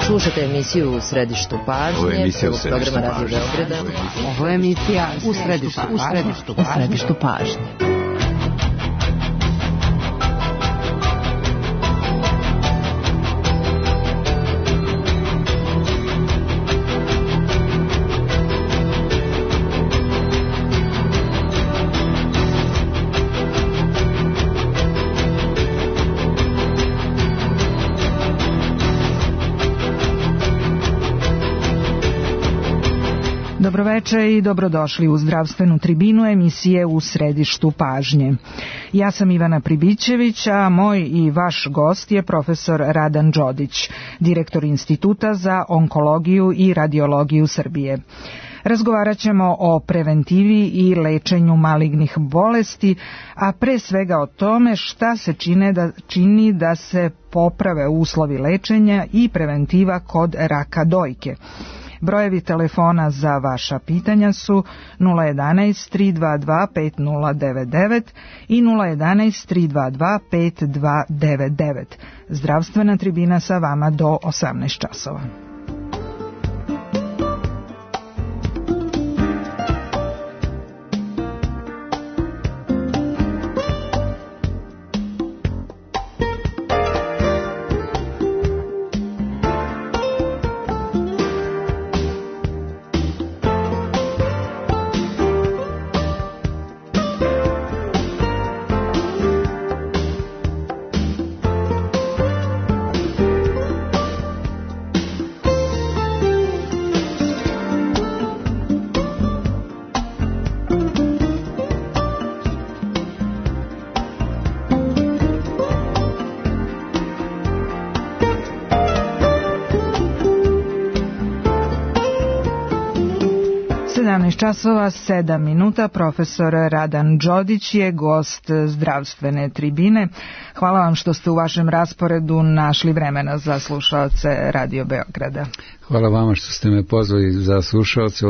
Slušate emisiju U središtu pažnje, programa Radio Beograda. Ovo je emisija U središtu pažnje. Dobroveče i dobrodošli u zdravstvenu tribinu emisije U središtu pažnje. Ja sam Ivana Pribićević, a moj i vaš gost je profesor Radan Đodić, direktor Instituta za onkologiju i radiologiju Srbije. Razgovarat ćemo o preventivi i lečenju malignih bolesti, a pre svega o tome šta se čini da se poprave uslovi lečenja i preventiva kod raka dojke. Brojevi telefona za vaša pitanja su 011 322 5099 i 011 322 5299. Zdravstvena tribina sa vama do 18 časova. Časova 7 minuta, profesor Radan Đodić je gost zdravstvene tribine. Hvala vam što ste u vašem rasporedu našli vremena za slušaoce Radio Beograda. Hvala vama što ste me pozvali za slušaoce,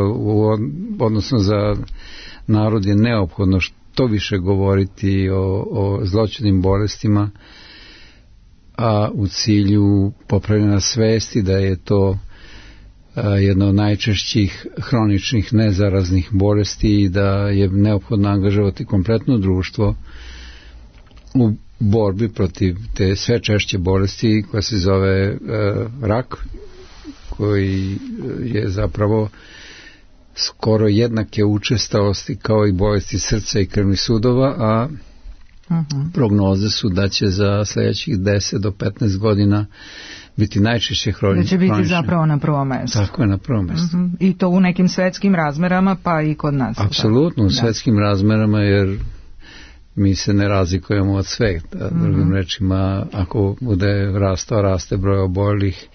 odnosno za narod je neophodno što više govoriti o zloćudnim bolestima, a u cilju popravljanja svesti da je to jedna od najčešćih hroničnih nezaraznih bolesti i da je neophodno angažovati kompletno društvo u borbi protiv te sve češće bolesti koja se zove rak, koji je zapravo skoro jednake učestalosti kao i bolesti srca i krvnih sudova, a prognoze su da će za sljedećih 10 do 15 godina biti najčešće hronične. Da će biti zapravo na prvom mjestu. Tako je, na prvom mjestu. I to u nekim svetskim razmerama, pa i kod nas. Apsolutno, u svetskim razmerama, jer mi se ne razlikujemo od sveta. Drugim rečima, ako bude raste broj oboljelih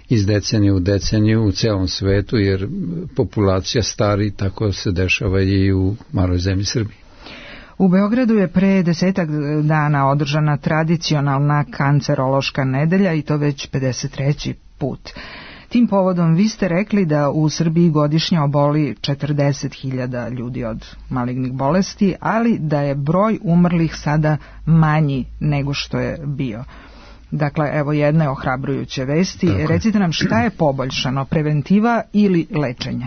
iz decenije u deceniju u celom svetu, jer populacija stari, tako se dešava i u maloj zemlji Srbiji. U Beogradu je pre 10 dana održana tradicionalna kancerološka nedelja i to već 53. put. Tim povodom vi ste rekli da u Srbiji godišnje oboli 40.000 ljudi od malignih bolesti, ali da je broj umrlih sada manji nego što je bio. Dakle, evo jedne ohrabrujuće vesti. Tako. Recite nam šta je poboljšano, preventiva ili lečenje?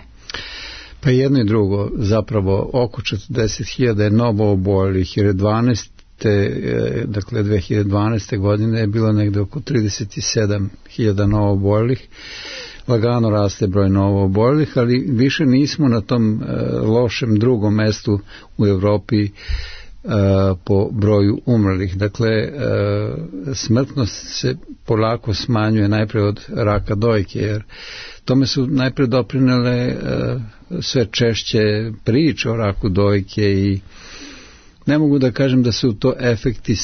Pa jedno i drugo, zapravo oko 40.000 je novo oboljelih, jer 2012. godine je bilo negde oko 37.000 novo oboljelih. Lagano raste broj novo oboljelih, ali više nismo na tom lošem drugom mestu u Evropi po broju umrlih. Dakle, smrtnost se polako smanjuje najprej od raka dojke, jer tome su najprej doprinele sve češće priče o raku dojke i ne mogu da kažem da su to efekti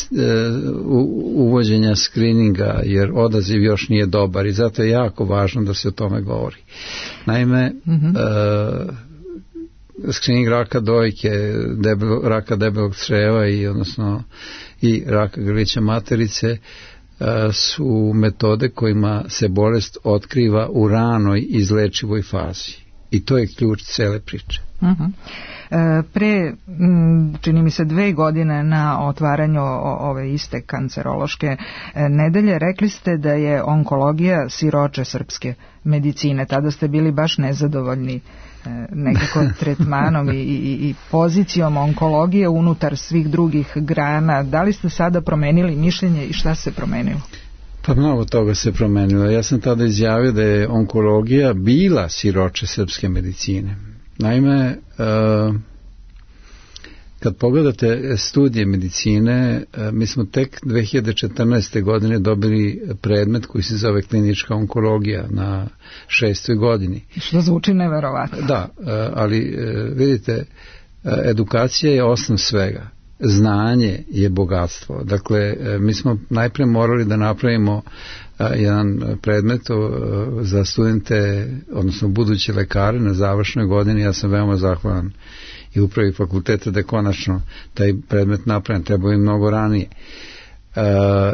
uvođenja skrininga, jer odaziv još nije dobar i zato je jako važno da se o tome govori. Naime, skrining raka dojke, raka debelog crijeva i raka grlića materice su metode kojima se bolest otkriva u ranoj izlečivoj fazi. I to je ključ cele priče. Pre, čini mi se 2 godine na otvaranju ove iste kancerološke nedelje, rekli ste da je onkologija siroče srpske medicine. Tada ste bili baš nezadovoljni nekako tretmanom i pozicijom onkologije unutar svih drugih grana. Da li ste sada promenili mišljenje i šta se promenilo? Pa mnogo toga se promenilo. Ja sam tada izjavio da je onkologija bila siroče srpske medicine. Naime, kad pogledate studije medicine, mi smo tek 2014. godine dobili predmet koji se zove klinička onkologija na 6. godini. Što zvuči neverovatno. Da, ali vidite, edukacija je osnov svega. Znanje je bogatstvo. Dakle, mi smo najpre morali da napravimo jedan predmet za studente, odnosno buduće lekare na završnoj godini. Ja sam veoma zahvalan i upravi fakulteta da je konačno taj predmet napravljen. Trebao je mnogo ranije.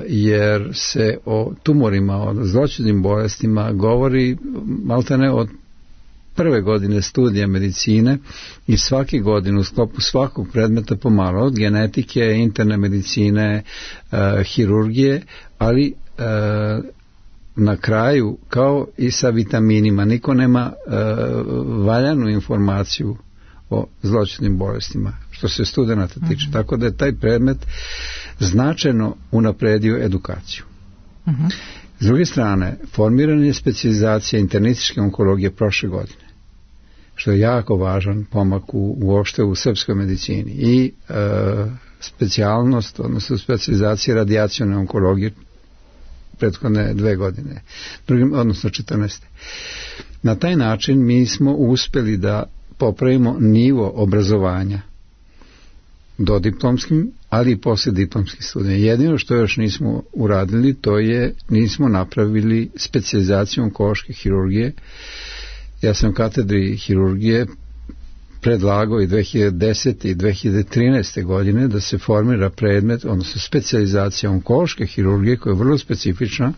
Jer se o tumorima, o zloćudnim bolestima govori maltene od prve godine studija medicine i svake godine u sklopu svakog predmeta pomalo, od genetike, interne medicine, hirurgije, ali na kraju, kao i sa vitaminima, niko nema valjanu informaciju o zloćudnim bolestima, što se studenata tiče. Tako da je taj predmet značajno unapredio edukaciju. S druge strane, formirana je specijalizacija internističke onkologije prošle godine, što je jako važan pomak uopšte u srpskoj medicini, i specijalnost, odnosno specijalizacija radijacione onkologije prethodne 2 godine, odnosno 14. Na taj način mi smo uspeli da popravimo nivo obrazovanja dodiplomskim, ali i poslijediplomskim studijama. Jedino što još nismo uradili, to je nismo napravili specijalizaciju onkološke hirurgije. Ja sam u katedri hirurgije predlagao i 2010. i 2013. godine da se formira predmet, odnosno specijalizacija onkološke hirurgije, koja je vrlo specifična,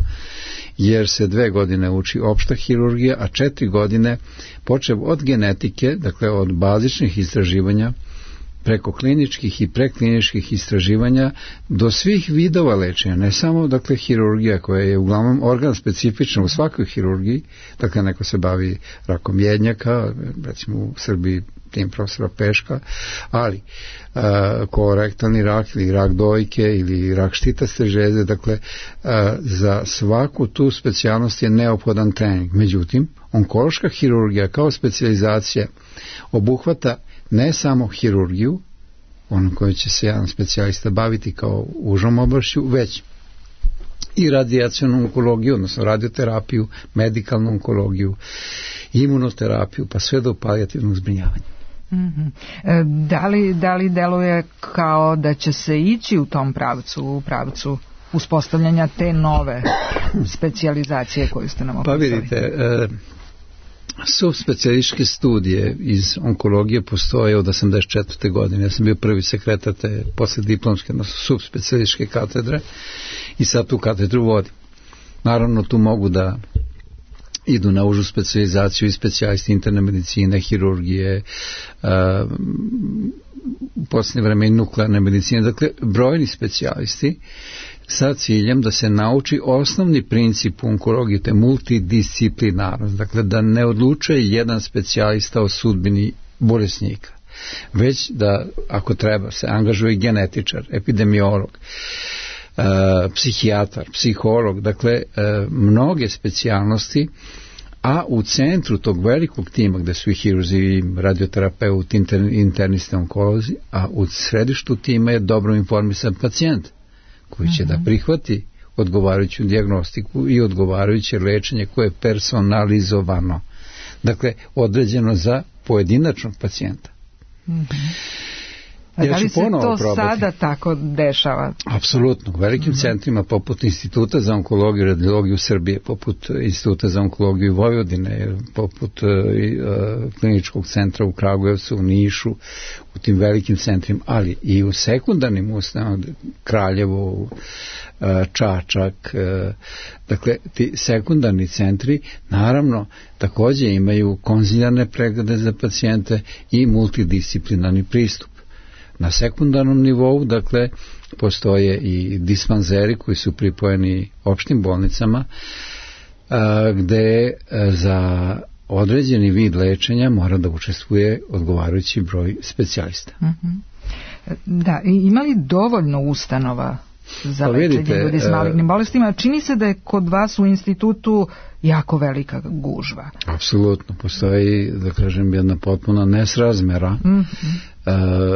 jer se 2 godine uči opšta hirurgija, a 4 godine počev od genetike, dakle od bazičnih istraživanja, preko kliničkih i prekliničkih istraživanja do svih vidova lečenja, ne samo dakle hirurgija koja je uglavnom organ specifična u svakoj hirurgiji, dakle neko se bavi rakom jednjaka, recimo u Srbiji tim profesora Peška, ali kolorektalni rak ili rak dojke ili rak štitaste žeze, dakle za svaku tu specijalnost je neophodan trening. Međutim, onkološka hirurgija kao specijalizacija obuhvata ne samo hirurgiju, onom kojoj će se jedan specijalista baviti kao užom oblašću, već i radijacionu onkologiju, odnosno radioterapiju, medikalnu onkologiju, imunoterapiju, pa sve do palijativnog zbrinjavanja. Da li deluje kao da će se ići u tom pravcu, u pravcu uspostavljanja te nove specijalizacije koju ste nam opisali? Pa vidite, subspecijalističke studije iz onkologije postoje od 1984. godine. Ja sam bio prvi sekretar te poslijediplomske, odnosno subspecijalističke katedre, i sad tu katedru vodim. Naravno, tu mogu da idu na užu specijalizaciju i specijalisti interne medicine, hirurgije, u posljednje vreme i nuklearne medicine, dakle brojni specijalisti sa ciljem da se nauči osnovni princip u onkologiji, te multidisciplinarnost, dakle da ne odlučuje jedan specijalista o sudbini bolesnika, već da ako treba se angažuje genetičar, epidemiolog, psihijatar, psiholog, dakle mnoge specijalnosti, a u centru tog velikog tima gde su i hirurzi, radioterapeuti, internisti, onkolozi, a u središtu tima je dobro informisan pacijent koji će da prihvati odgovarajuću dijagnostiku i odgovarajuće lečenje koje je personalizovano, dakle određeno za pojedinačnog pacijenta. A da li se to sada tako dešava? Apsolutno. U velikim centrima poput Instituta za onkologiju i radiologiju Srbije, poput Instituta za onkologiju Vojvodine, poput kliničkog centra u Kragujevcu, u Nišu, u tim velikim centrima, ali i u sekundarnim ustanovama, Kraljevo, Čačak. Dakle, ti sekundarni centri naravno takođe imaju konzilijarne preglede za pacijente i multidisciplinarni pristup. Na sekundarnom nivou, dakle, postoje i dispanzeri koji su pripojeni opštim bolnicama, gde za određeni vid lečenja mora da učestvuje odgovarajući broj specijalista. Da, ima li dovoljno ustanova za lečenje ljudi s malignim bolestima? Čini se da je kod vas u institutu jako velika gužva. Apsolutno, postoji, da kažem, jedna potpuna nesrazmera,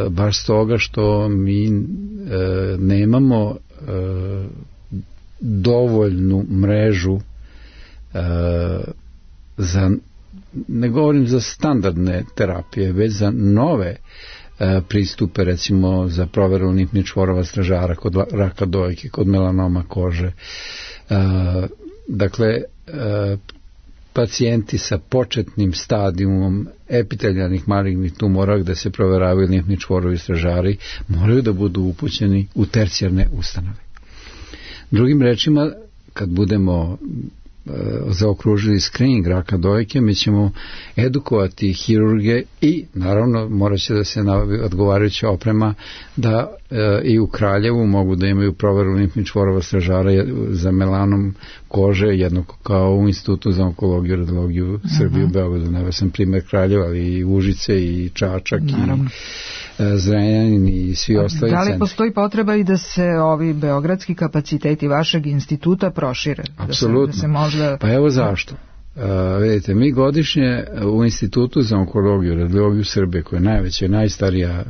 baš s toga što mi nemamo dovoljnu mrežu za, ne govorim za standardne terapije, već za nove pristupe, recimo za proveru limfnih čvorova stražara, kod raka dojke, kod melanoma kože. Dakle, pacijenti sa početnim stadijumom epiteljarnih malignih tumora, gde se proveravaju limfni čvorovi stražari, moraju da budu upućeni u tercijarne ustanove. Drugim rečima, kad budemo zaokružili screening raka dojke, mi ćemo edukovati hirurge i naravno morat će da se nabavi odgovarajuća oprema da i u Kraljevu mogu da imaju proveru limfnih čvorova stražara za melanom kože, jednako kao u Institutu za onkologiju i radiologiju Srbije u Beogradu. Naveo sam primer Kraljeva, ali i Užice i Čačak i Zrenjanin i svi ostali centri. Da li postoji potreba i da se ovi beogradski kapaciteti vašeg instituta prošire? Apsolutno. Da se možda... Pa evo zašto. Vidite, mi godišnje u Institutu za onkologiju i radiologiju Srbije, koja je najveća i najstarija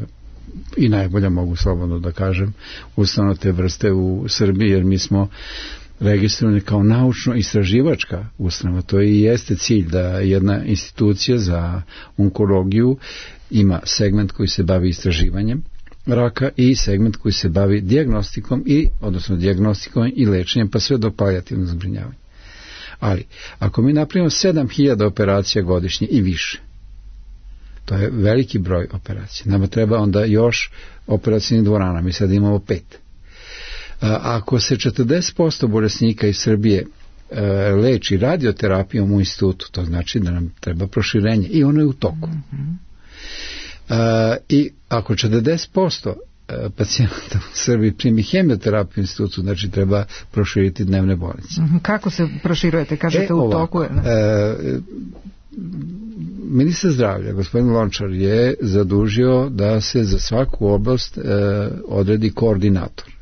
i najbolja, mogu slobodno da kažem, ustanova te vrste u Srbiji, jer mi smo registrovani kao naučno-istraživačka ustanova. To i jeste cilj, da jedna institucija za onkologiju ima segment koji se bavi istraživanjem raka i segment koji se bavi dijagnostikom i lečenjem, pa sve do palijativnog zbrinjavanja. Ali, ako mi napravimo 7000 operacija godišnje i više, to je veliki broj operacija. Nama treba onda još operacijnih dvorana, mi sad imamo 5. Ako se 40% bolesnika iz Srbije leči radioterapijom u institutu, to znači da nam treba proširenje i ono je u toku. I ako 40% pacijenta u Srbiji primi hemioterapiju u institutu, znači treba proširiti dnevne bolnice. Kako se proširujete? Kažete u toku? Ministar zdravlja, gospodin Lončar, je zadužio da se za svaku oblast odredi koordinator.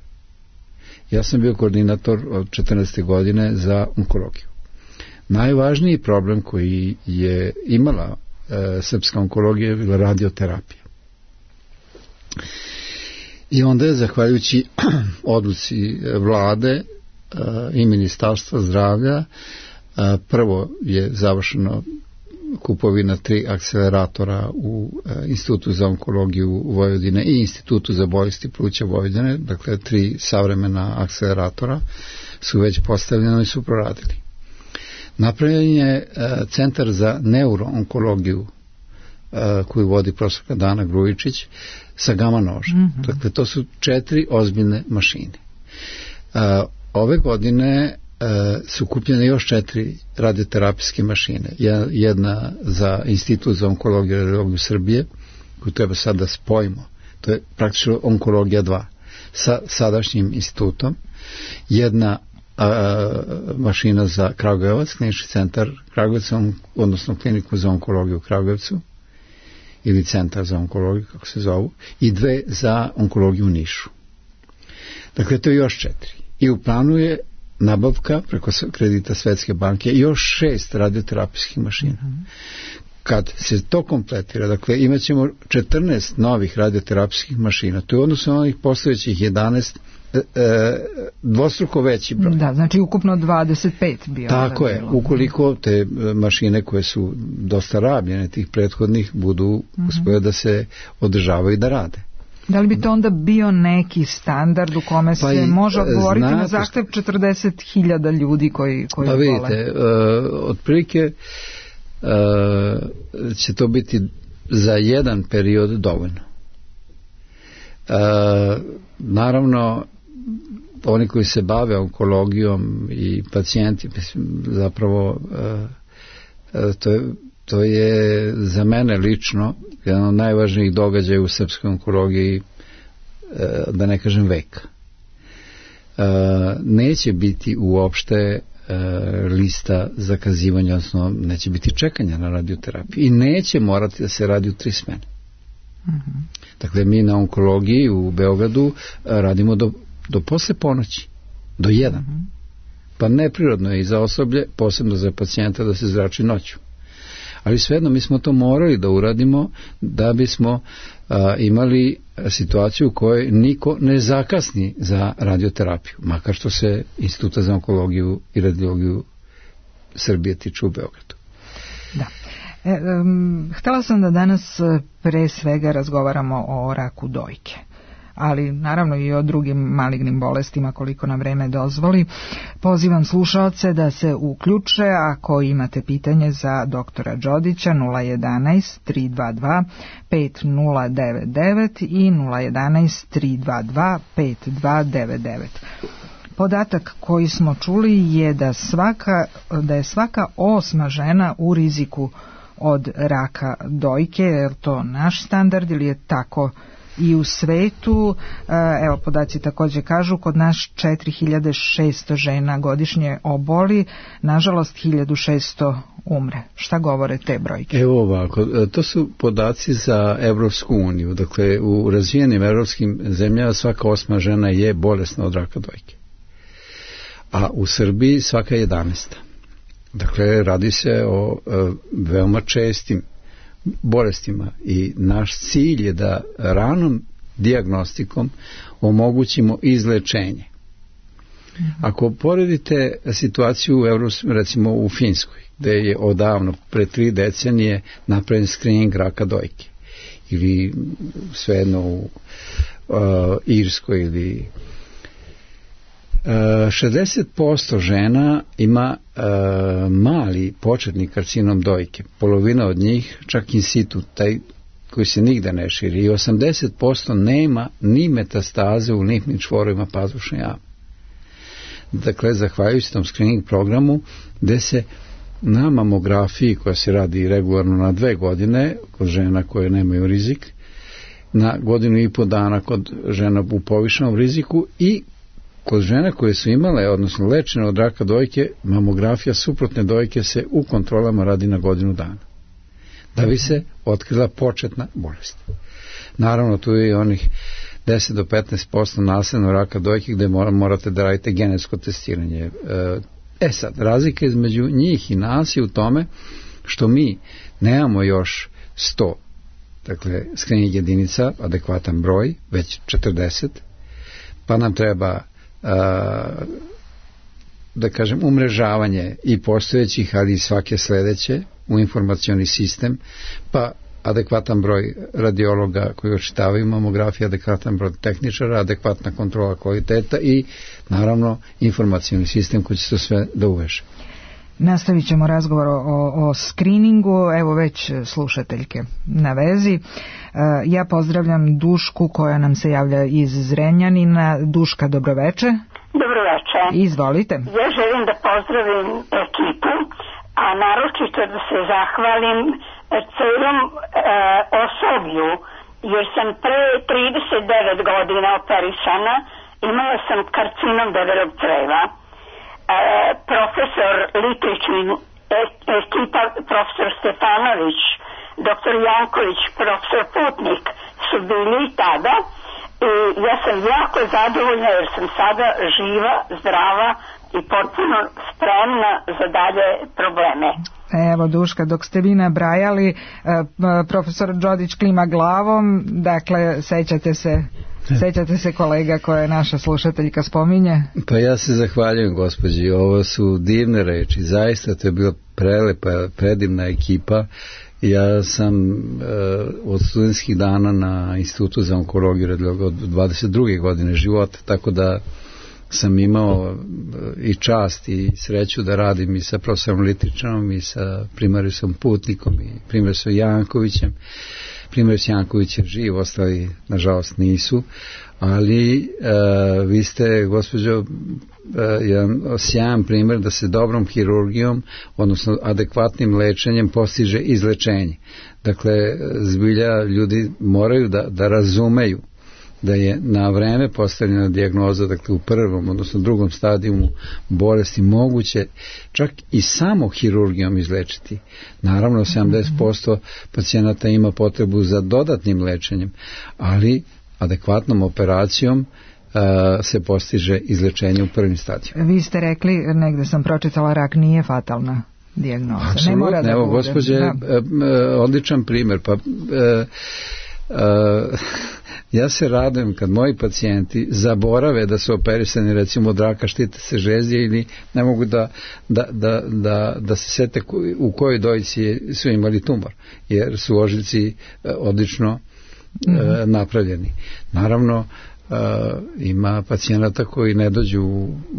Ja sam bio koordinator od 14. godine za onkologiju. Najvažniji problem koji je imala srpska onkologija je bila radioterapija. I onda je, zahvaljujući odluci vlade i ministarstva zdravlja, prvo je završeno kupovina 3 akceleratora u Institutu za onkologiju Vojvodine i Institutu za bolesti pluća Vojvodine, dakle 3 savremena akceleratora su već postavljene i su proradili. Napravljen je centar za neuroonkologiju koju vodi profesorka Dana Grujičić sa gama nožem. Dakle, to su 4 ozbiljne mašine. Ove godine su kupljene još 4 radioterapijske mašine. Jedna za Institut za onkologiju i radiologiju Srbije, koju treba sad da spojimo. To je praktično onkologija 2 sa sadašnjim institutom. Jedna mašina za Kragujevac, klinički centar Kragujevca, odnosno kliniku za onkologiju u Kragujevcu, ili centar za onkologiju, kako se zovu, i 2 za onkologiju u Nišu. Dakle, to je još 4. I u planu je nabavka preko kredita Svetske banke još 6 radioterapijskih mašina. Kad se to kompletira, dakle, imat ćemo 14 novih radioterapijskih mašina. To je odnosno onih postojećih 11 dvostruko veći broj. Da, znači ukupno 25 bio. Tako je, ukoliko te mašine koje su dosta rabljene, tih prethodnih, budu uspjele da se održavaju i da rade. Da li bi to onda bio neki standard u kome se može odgovoriti na zahtev 40.000 ljudi koji pa vidite, otprilike će to biti za jedan period dovoljno. Naravno, oni koji se bave onkologijom i pacijenti, zapravo to je za mene lično jedan od najvažnijih događaja u srpskoj onkologiji, da ne kažem veka. Neće biti uopšte lista zakazivanja, odnosno neće biti čekanja na radioterapiju i neće morati da se radi u 3 smene. Dakle, mi na onkologiji u Beogradu radimo do posle ponoći, do 1. Pa neprirodno je i za osoblje, posebno za pacijenta, da se zrači noću. Ali svejedno mi smo to morali da uradimo da bismo imali situaciju u kojoj niko ne zakasni za radioterapiju, makar što se Instituta za onkologiju i radiologiju Srbije tiče u Beogradu. Da. Htela sam da danas pre svega razgovaramo o raku dojke, ali naravno i o drugim malignim bolestima koliko nam vreme dozvoli. Pozivam slušaoce da se uključe ako imate pitanje za doktora Đodića 011 322 5099 i 011 322 5299. Podatak koji smo čuli je da je svaka 8. žena u riziku od raka dojke. Je li to naš standard ili je tako i u svetu? Evo, podaci također kažu, kod nas 4600 žena godišnje oboli, nažalost 1600 umre. Šta govore te brojke? Evo ovako, to su podaci za Evropsku uniju. Dakle, u razvijenim evropskim zemljama svaka 8. žena je bolesna od raka dojke. A u Srbiji svaka 11. Dakle, radi se o veoma čestim bolestima i naš cilj je da ranom dijagnostikom omogućimo izlečenje. Ako poredite situaciju recimo u Finskoj, gde je odavno, pre 3 decenije, napravljen screening raka dojke, ili svejedno u Irskoj ili 60% žena ima mali početni karcinom dojke, polovina od njih čak in situ, taj koji se nigde ne širi, i 80% nema ni metastaze u limfnim čvorovima pazušne jame. Dakle, zahvaljujući tom screening programu, gde se na mamografiji koja se radi regularno na 2 godine kod žena koje nemaju rizik, na 1.5 godina dana kod žena u povišenom riziku i kod žena koje su imale, odnosno lečene od raka dojke, mamografija suprotne dojke se u kontrolama radi na 1 godinu dana, da bi se otkrila početna bolest. Naravno, tu je i onih 10 do 15% nasljednog raka dojke gde morate da radite genetsko testiranje. Sad, razlika između njih i nas je u tome što mi nemamo još 100, dakle, screening jedinica, adekvatan broj, već 40, pa nam treba da kažem umrežavanje i postojećih, ali i svake sledeće u informacioni sistem, pa adekvatan broj radiologa koji očitavaju mamografiju, adekvatan broj tehničara, adekvatna kontrola kvaliteta i naravno informacioni sistem koji će to sve da uveže. Nastavit ćemo razgovor o screeningu, evo već slušateljke na vezi. Ja pozdravljam Dušku koja nam se javlja iz Zrenjanina. Duška, dobroveče. Dobroveče. Izvolite. Ja želim da pozdravim ekipu, a naročito da se zahvalim celom osoblju, jer sam pre 39 godina operisana, imala sam karcinom debelog creva. Profesor Litrić, ekipa profesor Stefanović, doktor Janković, profesor Putnik su bili tada i ja sam jako zadovoljna jer sam sada živa, zdrava i potpuno spremna za dalje probleme. Evo, Duška, dok ste vi nabrajali, profesor Đodić klima glavom, dakle, sećate se kolega koje naša slušateljka spominje? Pa ja se zahvaljujem gospođi, ovo su divne reči, zaista to je bila prelepa, predivna ekipa. Ja sam od studentskih dana na Institutu za onkologiju od 22. godine života, tako da sam imao i čast i sreću da radim i sa profesorom Litričanom i sa primarisom Putnikom i primarisom Jankovićem. primjer Janković je živ, ostali nažalost nisu, ali vi ste, gospođo, jedan sjajan primjer da se dobrom hirurgijom, odnosno adekvatnim lečenjem postiže izlečenje. Dakle, zbilja ljudi moraju da razumeju da je na vreme postavljena dijagnoza, dakle u prvom, odnosno drugom stadijumu bolesti moguće čak i samo hirurgijom izlečiti. Naravno, 70% pacijenata ima potrebu za dodatnim lečenjem, ali adekvatnom operacijom se postiže izlečenje u prvim stadijima. Vi ste rekli, negde sam pročitala, rak nije fatalna dijagnoza. Apsolutno, ne mora da evo, bude. gospođe, odličan primjer. Pa ja se radujem kad moji pacijenti zaborave da su operisani recimo od raka štite se žezdje ili ne mogu da se sete u kojoj dojci su imali tumor, jer su ožiljci odlično napravljeni. Naravno, ima pacijenata koji ne dođu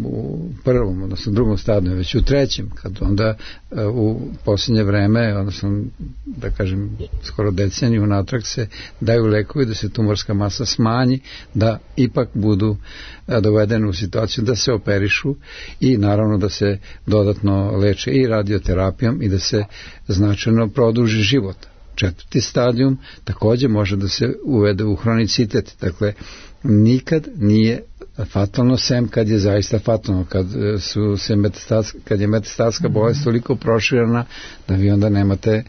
u prvom, odnosno drugom stadiju, već u trećem, kad onda u posljednje vreme, odnosno da kažem skoro deceniju natrag se daju lekovi da se tumorska masa smanji, da ipak budu dovedeni u situaciju da se operišu i naravno da se dodatno leče i radioterapijom i da se značajno produži život. Četvrti stadijum također može da se uvede u hronicitet, dakle nikad nije fatalno, sem kad je zaista fatalno, kad je metastatska bolest toliko proširena da vi onda nemate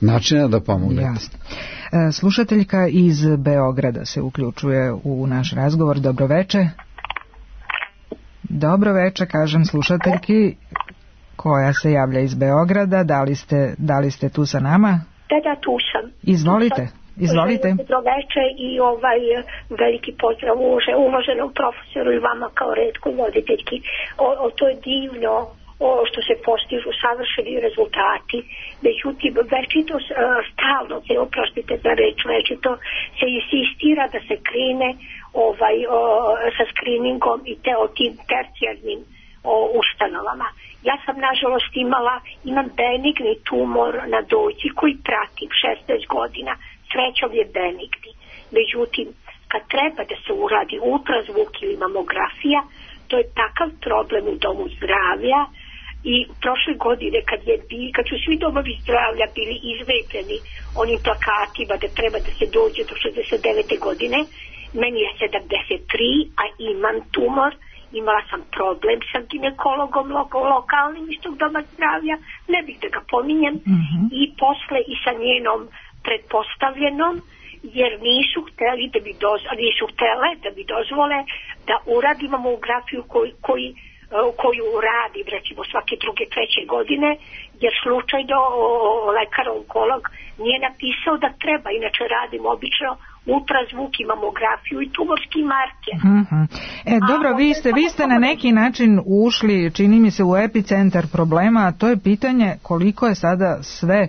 načina da pomognete. Jasno. Slušateljka iz Beograda se uključuje u naš razgovor. Dobro veče. Dobro veče, kažem slušateljki koja se javlja iz Beograda. Da li ste tu sa nama? Da, tu sam. Izvolite. Dobro veče i veliki pozdrav uvaženom profesoru i vama kao retkoj voditeljki. To je divno što se postižu savršeni rezultati. Međutim, večito stalno se, oprostite za reč, večito se insistira da se krene sa screeningom i o tim tercijarnim ustanovama. Ja sam nažalost imam benigni tumor na dojci koji pratim 16 godina, srećom je benigni. Međutim, kad treba da se uradi ultrazvuk ili mamografija, to je takav problem u domu zdravlja i prošle godine kad su svi domovi zdravlja bili izvepljeni onim plakatima da treba da se dođe do 69. godine, meni je 73, a imam tumor. Imala sam problem sa ginekologom lokalnim iz tog doma zdravlja, ne bih da ga pominjem, i posle i sa njenom pretpostavljenom, jer nisu htele da bi dozvole da uradim mamografiju koju radim recimo svake druge, treće godine, jer slučajno lekar onkolog nije napisao da treba, inače radim obično ultrazvuk i mamografiju i tumorski marker. Dobro, vi ste na neki način ušli, čini mi se, u epicentar problema, a to je pitanje koliko je sada sve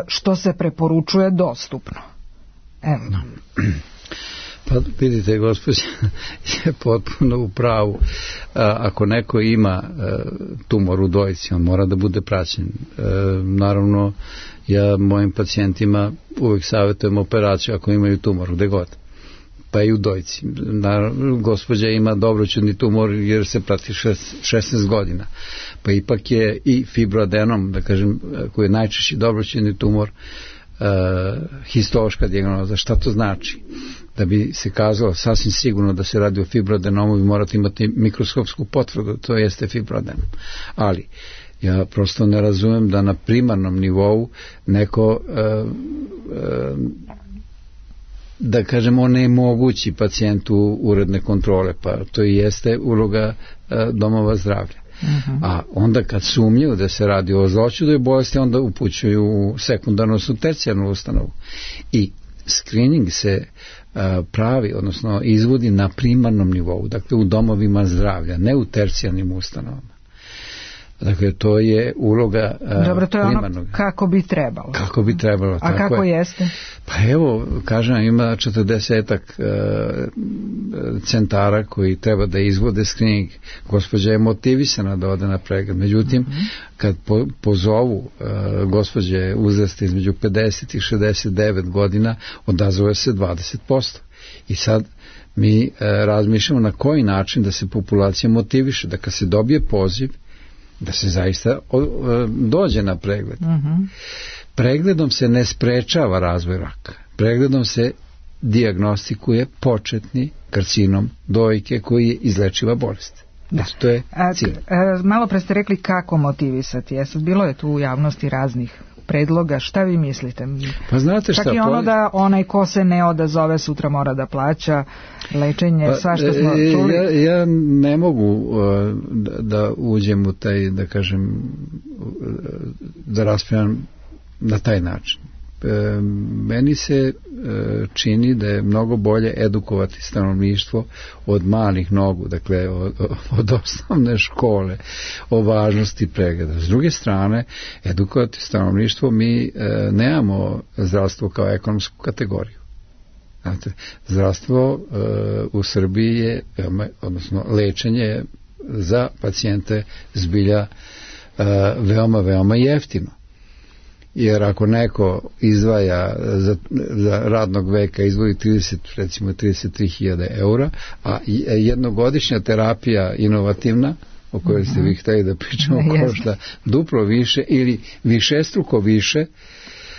što se preporučuje dostupno. Evo. Pa vidite, gospođa je potpuno u pravu. Ako neko ima tumor u dojci, on mora da bude praćen. Naravno, ja mojim pacijentima uvijek savjetujem operaciju ako imaju tumor, gde god, pa i u dojci. Gospođa ima dobroćudni tumor jer se prati 16 godina, pa ipak je i fibroadenom, da kažem, koji je najčešći dobroćudni tumor, histološka dijagnoza. Šta to znači? Da bi se kazalo sasvim sigurno da se radi o fibroadenomu, vi morate imati mikroskopsku potvrdu, to jeste fibroadenom. Ali ja prosto ne razumem da na primarnom nivou neko da kažemo onemogući pacijentu uredne kontrole, pa to i jeste uloga domova zdravlja. A onda kad sumnjaju da se radi o zloćudnoj bolesti, onda upućuju u sekundarnu, odnosno tercijarnu ustanovu. I screening se pravi, odnosno izvodi na primarnom nivou, dakle u domovima zdravlja, ne u tercijarnim ustanovama. Dakle, to je uloga dobro, to je primarnog. Ono kako bi trebalo. Kako bi trebalo. A kako jeste? Pa evo, kažem, ima 40-ak centara koji treba da izvode screening. Gospođa je motivisana da ode na pregled. Međutim, kad pozovu gospođe uzrasta između 50 i 69 godina, odazove se 20%. I sad mi razmišljamo na koji način da se populacija motiviše, da kad se dobije poziv, da se zaista dođe na pregled. Pregledom se ne sprečava razvoj raka. Pregledom se dijagnostikuje početni karcinom dojke koji je izlečiva bolest. To je cilj. Malo pre ste rekli kako motivisati. Bilo je tu u javnosti raznih predloga. Šta vi mislite? Pa znate šta? Čak i ono da onaj ko se ne odazove sutra mora da plaća lečenje, sva što smo čuli. Ja ne mogu da uđem u taj, da kažem, da raspravljam na taj način. Meni se čini da je mnogo bolje edukovati stanovništvo od malih nogu, dakle od osnovne škole o važnosti pregleda. S druge strane, edukovati stanovništvo, mi nemamo zdravstvo kao ekonomsku kategoriju. Znate, zdravstvo u Srbiji je, odnosno lečenje za pacijente zbilja veoma, veoma jeftino. Jer ako neko izdvaja za radnog veka izvoji 33.000 eura, a jednogodišnja terapija inovativna, o kojoj ste vi hteli da pričamo, košta duplo više ili višestruko više,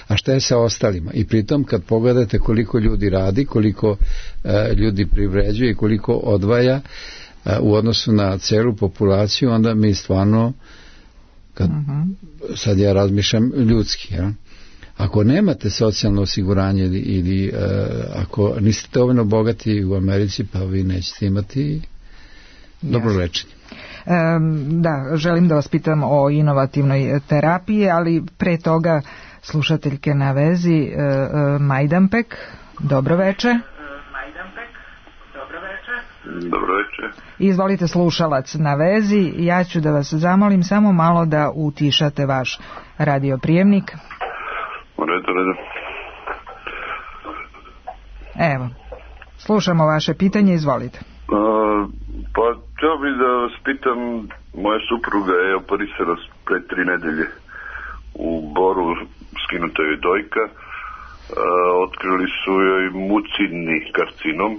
a šta je sa ostalima? I pritom kad pogledate koliko ljudi radi, koliko ljudi privređuje i koliko odvaja u odnosu na celu populaciju, onda mi stvarno, kad sad ja razmišljam ljudski, ja? Ako nemate socijalno osiguranje ili ako niste dovoljno bogati u Americi, pa vi nećete imati dobro lečenje. Da, želim da vas pitam o inovativnoj terapiji, ali pre toga slušateljke na vezi Majdanpek, dobro veče. Dobro večer. Izvolite, slušalac na vezi. Ja ću da vas zamolim samo malo da utišate vaš radioprijemnik. Redu. Evo, slušamo vaše pitanje, izvolite. Pa htio bih da vas pitam, moja supruga je operisala pre 3 nedelje u Boru, skinuta je dojka, otkrili su joj mucidni karcinom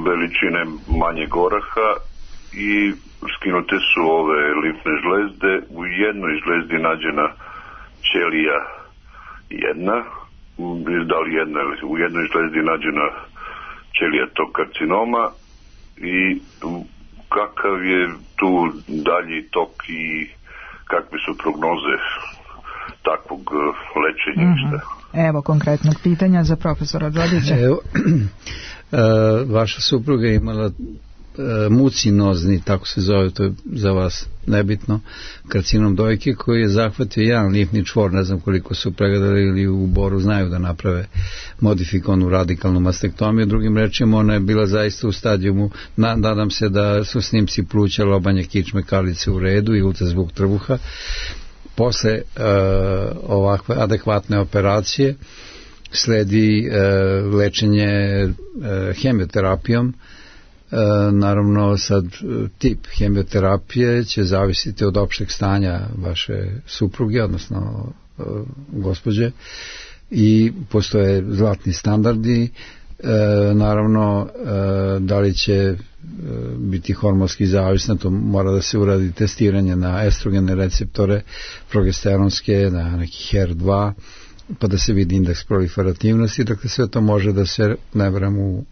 veličine manjeg oraha i skinute su ove limfne žlezde. U jednoj žlezdi nađena ćelija jedna, u jednoj žlezdi nađena ćelija tog karcinoma i kakav je tu dalji tok i kakve su prognoze takvog lečenja? Evo konkretnog pitanja za profesora Đodića. Evo, vaša supruga je imala mucinozni, tako se zove, to je za vas nebitno, karcinom dojke koji je zahvatio jedan limfni čvor, ne znam koliko su pregledali ili u Boru znaju da naprave modifikovanu radikalnu mastektomiju. Drugim rečima, ona je bila zaista u stadijumu, nadam se da su snimci pluća, lobanje kičme, kalice u redu i ultrazvuk trbuha. Posle ovakve adekvatne operacije sledi lečenje hemioterapijom. Naravno, sad tip hemioterapije će zavisiti od opšteg stanja vaše supruge, odnosno gospođe, i postoje zlatni standardi. Naravno, da li će biti hormonski zavisna, to mora da se uradi testiranje na estrogene receptore, progesteronske, na neki HER2, pa da se vidi indeks proliferativnosti. Dakle, sve to može da se, ne verujem, u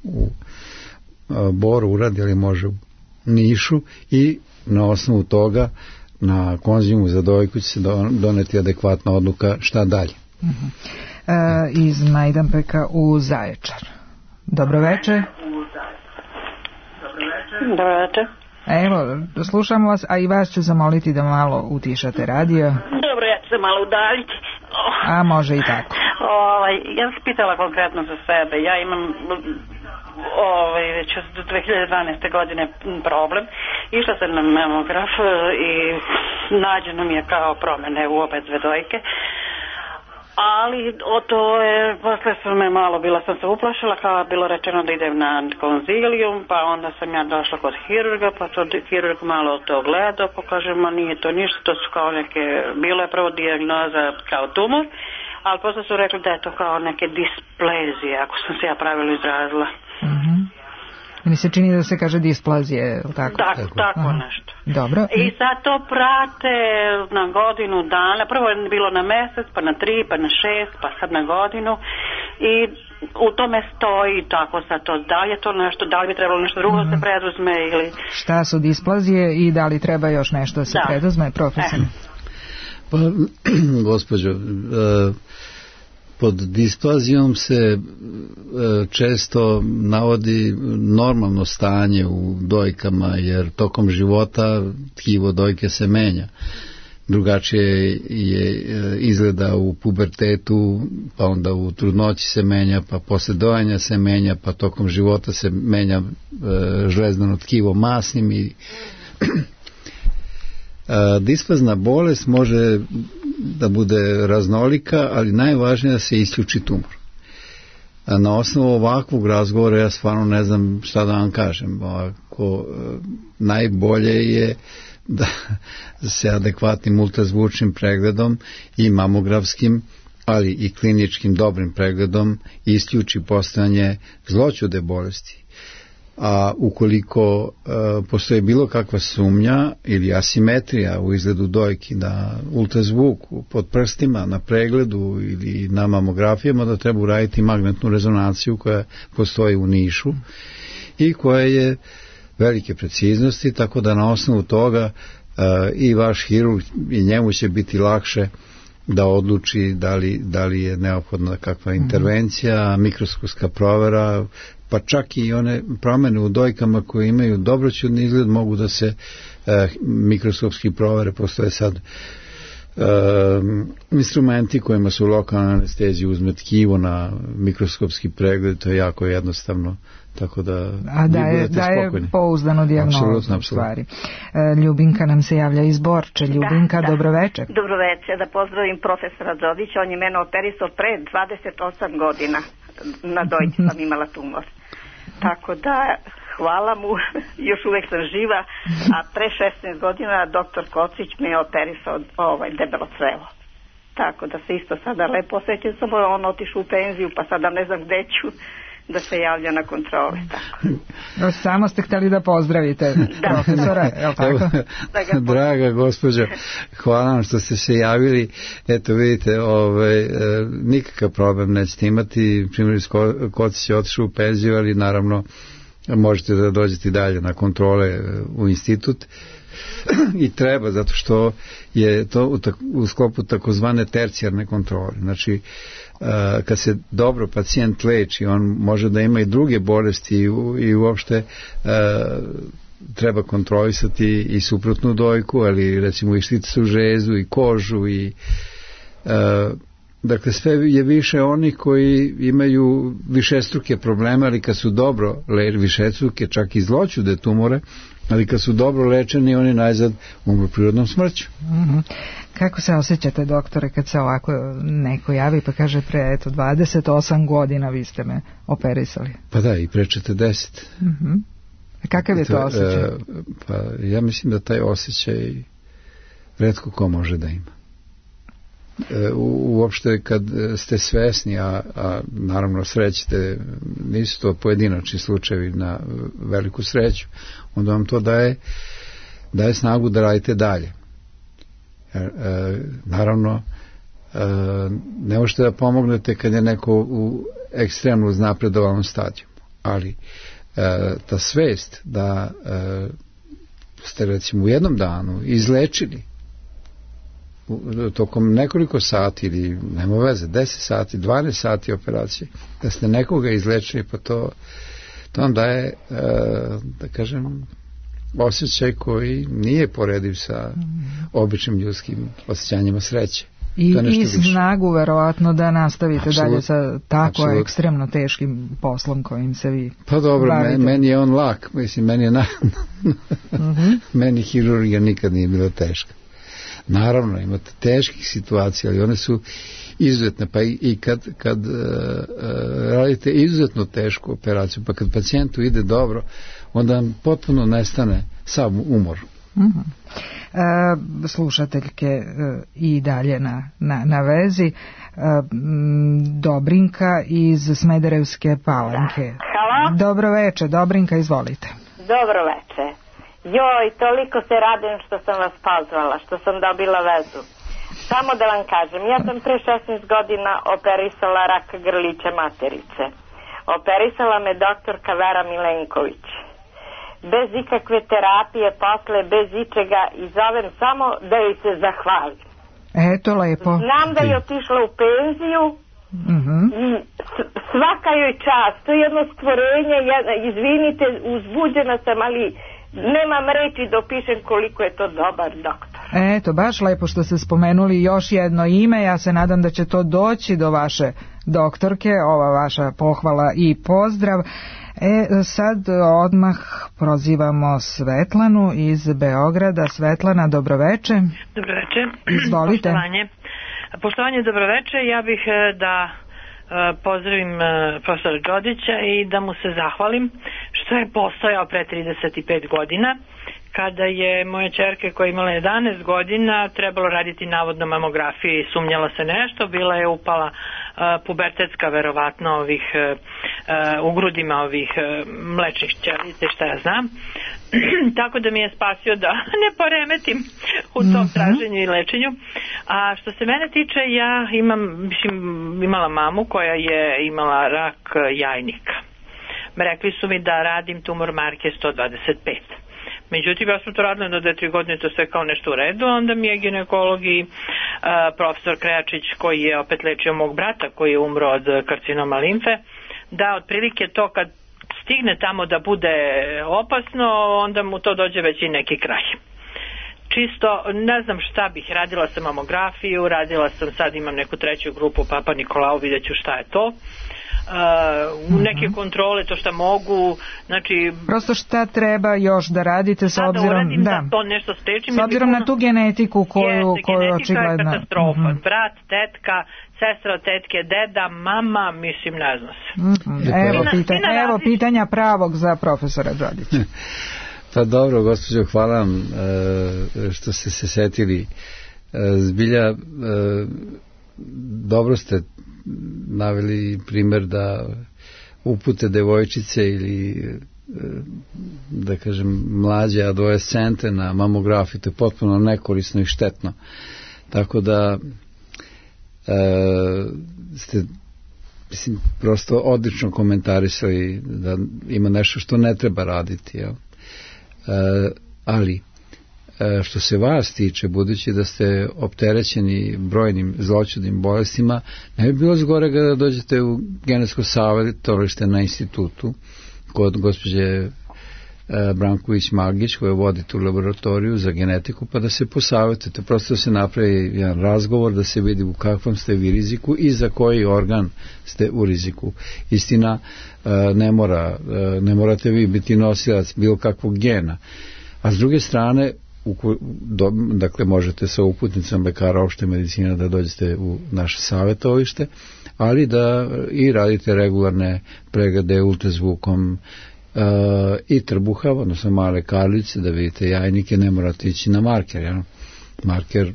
Boru uradi, ali može u Nišu, i na osnovu toga na konzijumu za dojku će se doneti adekvatna odluka šta dalje. Iz Majdanpeka u Zaječar. Dobro večer. Dobro večer. Evo, slušamo vas, a i vas ću zamoliti da malo utišate radio. Dobro, ja ću se malo udaljiti. A može i tako. Ja sam pitala konkretno za sebe. Ja imam već od 2012. godine problem. Išla sam na mamograf i nađeno mi je kao promjene u obe dve dojke. Ali to je, posle sam me malo, bila sam se uplašila, kao bilo rečeno da idem na konzilijum, pa onda sam ja došla kod hirurga, pa to hirurg malo to gledao, pa kaže, ma nije to ništa, to su kao neke, bilo je prvo dijagnoza kao tumor, ali posle su rekli da je to kao neke displezije, ako sam se ja pravilno izrazila. Mi se čini da se kaže displazije, tako? Tako nešto. Dobro. I sad to prate na godinu dana, prvo je bilo na mesec, pa na 3, pa na 6, pa sad na godinu i u tome stoji tako sad to, da li je to nešto, da li bi trebalo nešto drugo se preduzme ili... Šta su displazije i da li treba još nešto da se preduzme, profesor? Pa, gospođo, pod displazijom se često navodi normalno stanje u dojkama, jer tokom života tkivo dojke se menja. Drugačije je izgleda u pubertetu, pa onda u trudnoći se menja, pa posle dojanja se menja, pa tokom života se menja žlezdano tkivo masnim i displazna bolest može da bude raznolika, ali najvažnije je da se isključi tumor. Na osnovu ovakvog razgovora ja stvarno ne znam šta da vam kažem. Najbolje je da se adekvatnim ultrazvučnim pregledom i mamografskim, ali i kliničkim dobrim pregledom isključi postojanje zloćude bolesti. A ukoliko postoji bilo kakva sumnja ili asimetrija u izgledu dojki na ultrazvuku, pod prstima, na pregledu ili na mamografijama, da treba uraditi magnetnu rezonanciju koja postoji u Nišu i koja je velike preciznosti, tako da na osnovu toga i vaš hirurg i njemu će biti lakše da odluči da li je neophodna kakva intervencija, mikroskopska provera, pa čak i one promjene u dojkama koje imaju dobroćudni izgled mogu da se mikroskopski provere. Postoje sad instrumenti kojima su lokalna anestezija uzme tkivo na mikroskopski pregled, to je jako jednostavno, tako da da je pouzdano dijagnozu u stvari. Ljubinka nam se javlja iz Borče. Ljubinka, dobroveče. Dobroveče, da pozdravim profesora Đodića, on je mene operisao pre 28 godina, na dojci sam imala tumor. Tako da, hvala mu, još uvek sam živa, a pre 16 godina doktor Kocić me je operisao debelo crevo. Tako da se isto sada lepo osjećam, samo on otišao u penziju, pa sada ne znam gde ću da se javlja na kontrole. Tako. Samo ste htjeli da pozdravite profesora, je li tako? Draga gospođo, hvala vam što ste se javili. Eto vidite, nikakav problem nećete imati. Primjer Kocić je otišao u penziju, ali naravno možete da dođete dalje na kontrole u institut. I treba, zato što je to u sklopu takozvane tercijarne kontrole. Znači, kad se dobro pacijent leči, on može da ima i druge bolesti i uopšte treba kontrolisati i suprotnu dojku, ali recimo i štiticu žezu i kožu i dakle sve je više onih koji imaju višestruke probleme, ali kad su dobro višestruke, čak i zloćude tumore, ali kad su dobro lečeni, oni najzad umru prirodnom smrću. Kako se osjećate, doktore, kad se ovako neko javi pa kaže pre 28 godina vi ste me operisali? Pa da, i pre 40. Kakav je to osjećaj? Pa ja mislim da taj osjećaj retko ko može da ima. Uopšte kad ste svesni, a naravno srećete, nisu to pojedinačni slučajevi, na veliku sreću, onda vam to daje snagu da radite dalje. Naravno, ne možete da pomognete kad je neko u ekstremno uznapredovalnom stadiju, ali ta svest da ste recimo u jednom danu izlečili tokom nekoliko sati ili nema veze, 10 sati, 12 sati operacije, da ste nekoga izlečili, pa to vam daje, da kažem, osjećaj koji nije porediv sa običnim ljudskim osjećanjima sreće. I snagu verovatno da nastavite dalje sa tako ekstremno teškim poslom kojim se vi Pa dobro, meni je on lak, mislim, meni je meni hirurgija nikad nije bila teška. Naravno, imate teških situacija, ali one su izuzetne, pa i kad radite izuzetno tešku operaciju, pa kad pacijentu ide dobro, onda potpuno nestane sav umor. Slušateljke i dalje na vezi. Dobrinka iz Smederevske Palanke. Halo? Dobro veče, Dobrinka, izvolite. Dobro veče. Joj, toliko se radim što sam vas pozvala, što sam dobila vezu. Samo da vam kažem, ja sam pre 16 godina operisala rak grlića materice. Operisala me doktorka Vera Milenković. Bez ikakve terapije, posle, bez ičega, i zovem samo da joj se zahvalim. Eto, lepo. Znam da je otišla u penziju i svaka joj čast. To je jedno stvorenje, izvinite, uzbuđena sam, ali nemam reći da opišem koliko je to dobar doktor. Eto, baš lepo što ste spomenuli još jedno ime. Ja se nadam da će to doći do vaše doktorke, ova vaša pohvala i pozdrav. Sad odmah prozivamo Svetlanu iz Beograda. Svetlana, dobroveče. Dobroveče. Izvolite. Poštovanje, dobroveče. Ja bih da pozdravim profesora Đodića i da mu se zahvalim što je postojao pre 35 godina, kada je moja ćerka koja je imala 11 godina trebalo raditi navodno mamografiju i sumnjala se nešto, bila je upala pubertetska verovatno u grudima ovih mlečnih ćelija, šta ja znam. Tako da mi je spasio da ne poremetim u tom traženju i lečenju. A što se mene tiče, ja imala mamu koja je imala rak jajnika. Rekli su mi da radim tumor marke 125. Međutim, ja sam to radila do 2-3 godine, to sve kao nešto u redu, onda mi je ginekolog i profesor Krejačić, koji je opet lečio mog brata, koji je umro od karcinoma limfe, da otprilike to kad stigne tamo da bude opasno, onda mu to dođe već i neki kraj. Čisto, ne znam šta bih, radila sam mamografiju, sad imam neku treću grupu Papa Nikolao, vidjet ću šta je to. Neke kontrole, to šta mogu, znači prosto šta treba još da radite s obzirom da to nešto sprečim, s obzirom na tu genetiku koju očigledno je katastrofa. Brat, tetka, sestra od tetke, deda, mama, mislim, ne zna se. Evo pitanja pravog za profesora Đodića. Pa dobro, gospođo, hvala vam što ste se setili. Zbilja dobro ste naveli primjer da upute devojčice ili da kažem mlađe adolescente na mamografiju, to je potpuno nekorisno i štetno. Tako da ste prosto odlično komentarisali da ima nešto što ne treba raditi. Jel? Ali što se vas tiče, budući da ste opterećeni brojnim zloćudnim bolestima, ne bi bilo zgorega da dođete u genetsko savjetovalište na institutu kod gospođe Branković-Magić, koja vodi tu laboratoriju za genetiku, pa da se posavjetujete, prosto da se napravi jedan razgovor, da se vidi u kakvom ste vi riziku i za koji organ ste u riziku. Istina, ne morate vi biti nosilac bilo kakvog gena, a s druge strane, dakle možete sa uputnicom lekara opšte medicine da dođete u naše savjetovalište, ali da i radite regularne preglede ultrazvukom i trbuha, odnosno male karlice, da vidite jajnike, ne morate ići na marker. Ja? Marker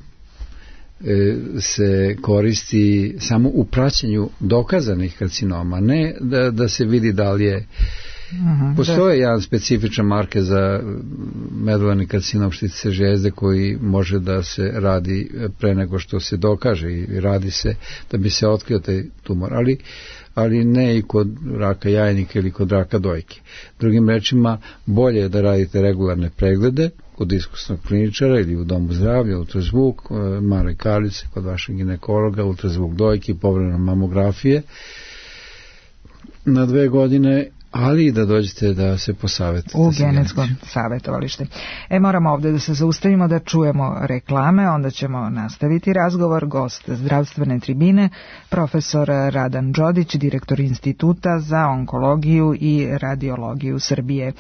se koristi samo u praćenju dokazanih karcinoma, ne da se vidi da li je. Postoje jedan specifičan marker za medularni karcinom štitice žljezde koji može da se radi pre nego što se dokaže i radi se da bi se otkrio taj tumor, ali ne i kod raka jajnika ili kod raka dojke. Drugim rečima, bolje je da radite regularne preglede kod iskusnog kliničara ili u domu zdravlja, ultrazvuk, male karlice kod vašeg ginekologa, ultrazvuk dojke i povremeno mamografije na 2 godine, ali i da dođete da se posavetite u genetsko savjetovalište. Moramo ovdje da se zaustavimo, da čujemo reklame, onda ćemo nastaviti razgovor. Gost zdravstvene tribine, profesor Radan Đodić, direktor Instituta za onkologiju i radiologiju Srbije.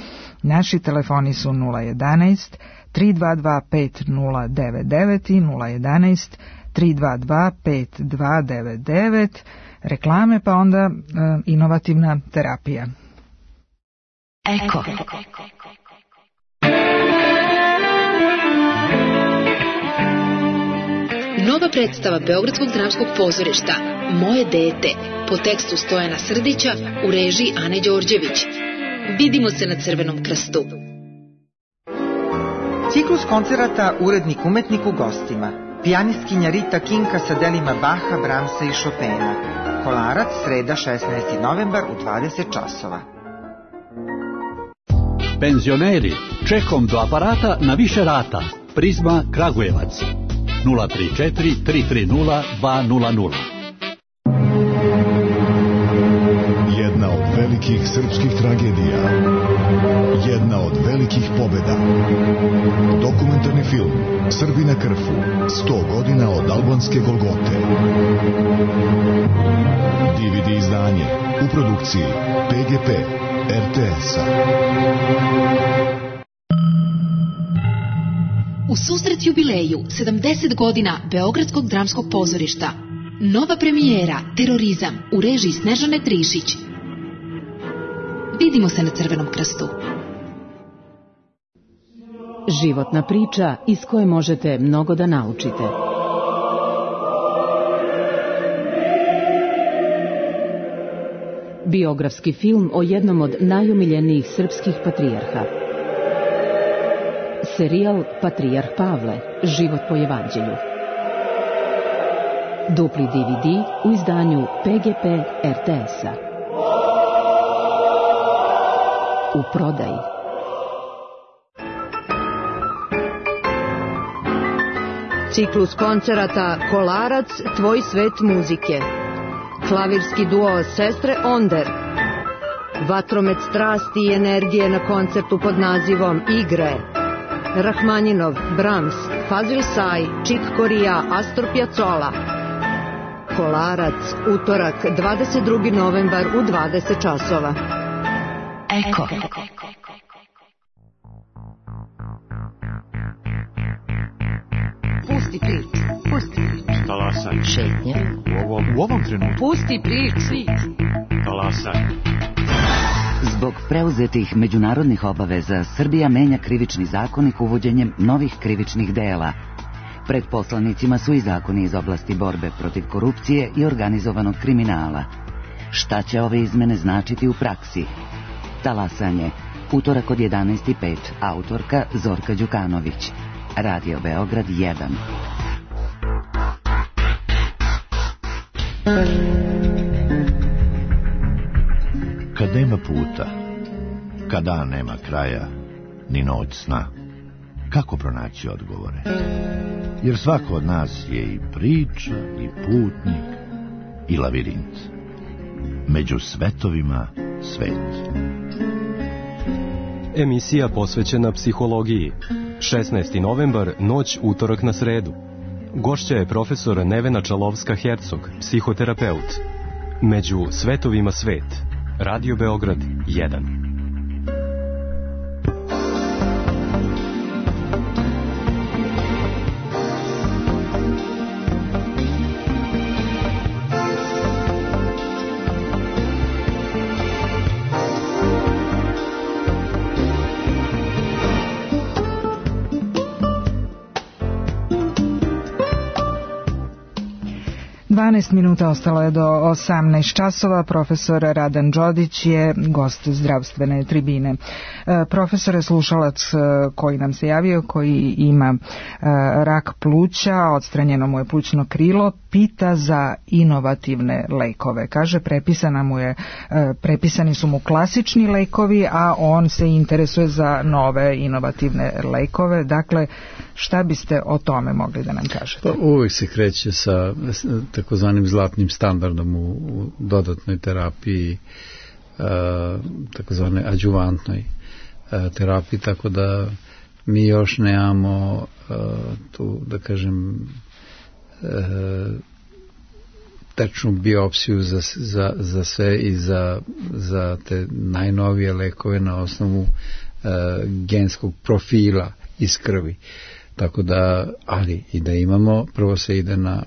Naši telefoni su 011 322 5099 i 011 322 5299, reklame pa onda inovativna terapija. Eko. Nova predstava Beogradskog dramskog pozorišta Moje dete po tekstu Stojana Srdića u režiji Ane Đorđević. Vidimo se na Crvenom krstu. Ciklus koncerata Urednik umetnik u gostima. Pijanistkinja Rita Kinka sa delima Baha, Bramsa i Chopina. Kolarac, sreda 16. novembar u 20 časova. Penzioneri, čekom do aparata na više rata. Prizma Kragujevac 034 330 200. Jedna od velikih srpskih tragedija. Jedna od velikih pobjeda. Dokumentarni film Srbi na Krfu, 100 godina od albanske Golgote. DVD izdanje u produkciji PGP RTS-a. U susret jubileju 70 godina Beogradskog dramskog pozorišta. Nova premijera Terorizam u režiji Snežane Trišić. Vidimo se na Crvenom krstu. Životna priča iz koje možete mnogo da naučite. Biografski film o jednom od najomiljenijih srpskih patrijarha. Serijal Patrijarh Pavle, život po evanđelju. Dupli DVD u izdanju PGP RTS-a. U prodaji. Ciklus koncerata Kolarac, tvoj svet muzike. Klavirski duo Sestre Onder. Vatromet strasti i energije na koncertu pod nazivom Igre. Rahmaninov, Brahms, Fazil Say, Chick Corea, Astor Piazzolla. Kolarac, utorak, 22. novembar u 20 časova. Eko. Pusti priču, pusti priču. Talasaj. Šetnja. U ovom trenutku. Pusti priču. Talasaj. Zbog preuzetih međunarodnih obaveza, Srbija menja krivični zakonik uvođenjem novih krivičnih dela. Pred poslanicima su i zakoni iz oblasti borbe protiv korupcije i organizovanog kriminala. Šta će ove izmene značiti u praksi? Talasanje. Utorak od 11:05. Autorka Zorka Đukanović. Radio Beograd 1. Kad nema puta, kad dan nema kraja, ni noć sna, kako pronaći odgovore? Jer svako od nas je i priča, i putnik, i lavirint. Među svetovima svet. Emisija posvećena psihologiji. 16. novembar, noć utorak na sredu. Gošća je profesor Nevena Čalovska-Hercog, psihoterapeut. Među svetovima svet. Radio Beograd 1. Minuta ostalo je do 18 časova. Profesor Radan Đodić je gost zdravstvene tribine. Profesor je slušalac koji nam se javio, koji ima rak pluća, odstranjeno mu je plućno krilo, pita za inovativne lekove. Kaže, prepisani su mu klasični lekovi, a on se interesuje za nove inovativne lekove. Dakle, šta biste o tome mogli da nam kažete? Pa uvijek se kreće sa takozvanim zlatnim standardom u dodatnoj terapiji takozvane adjuvantnoj terapiji, tako da mi još nemamo tu, da kažem, tečnu biopsiju za sve i za te najnovije lekove na osnovu genskog profila iz krvi. Tako da, ali i da imamo, prvo se ide na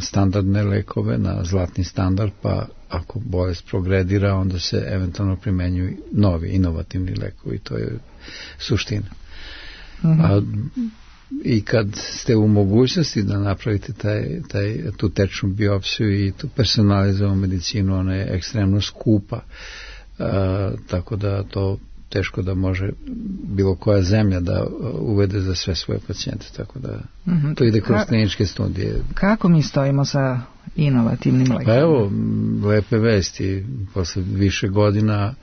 standardne lekove, na zlatni standard, pa ako bolest progredira, onda se eventualno primenjuju novi, inovativni lekovi. To je suština. I kad ste u mogućnosti da napravite tu tečnu biopsiju i tu personalizovanu medicinu, ona je ekstremno skupa, tako da to teško da može bilo koja zemlja da uvede za sve svoje pacijente, tako da to ide kroz kliničke studije. Kako mi stojimo sa inovativnim lekovima? Pa evo, lepe vesti, posle više godina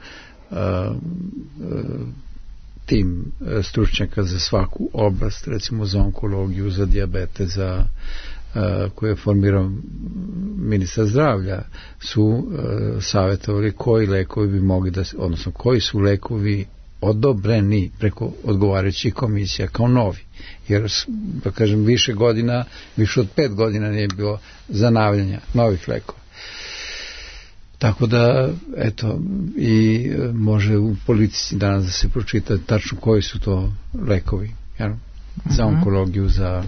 tim stručnjaka za svaku oblast, recimo za onkologiju, za dijabete, koje je formirao ministar zdravlja, su savjetovali koji lekovi bi mogli da, odnosno koji su lekovi odobreni preko odgovarajućih komisija kao novi, jer da kažem više godina, više od 5 godina nije bilo zanavljanja novih lekova. Tako da, eto, i može u politici danas da se pročita tačno koji su to lekovi, jel? Za onkologiju, za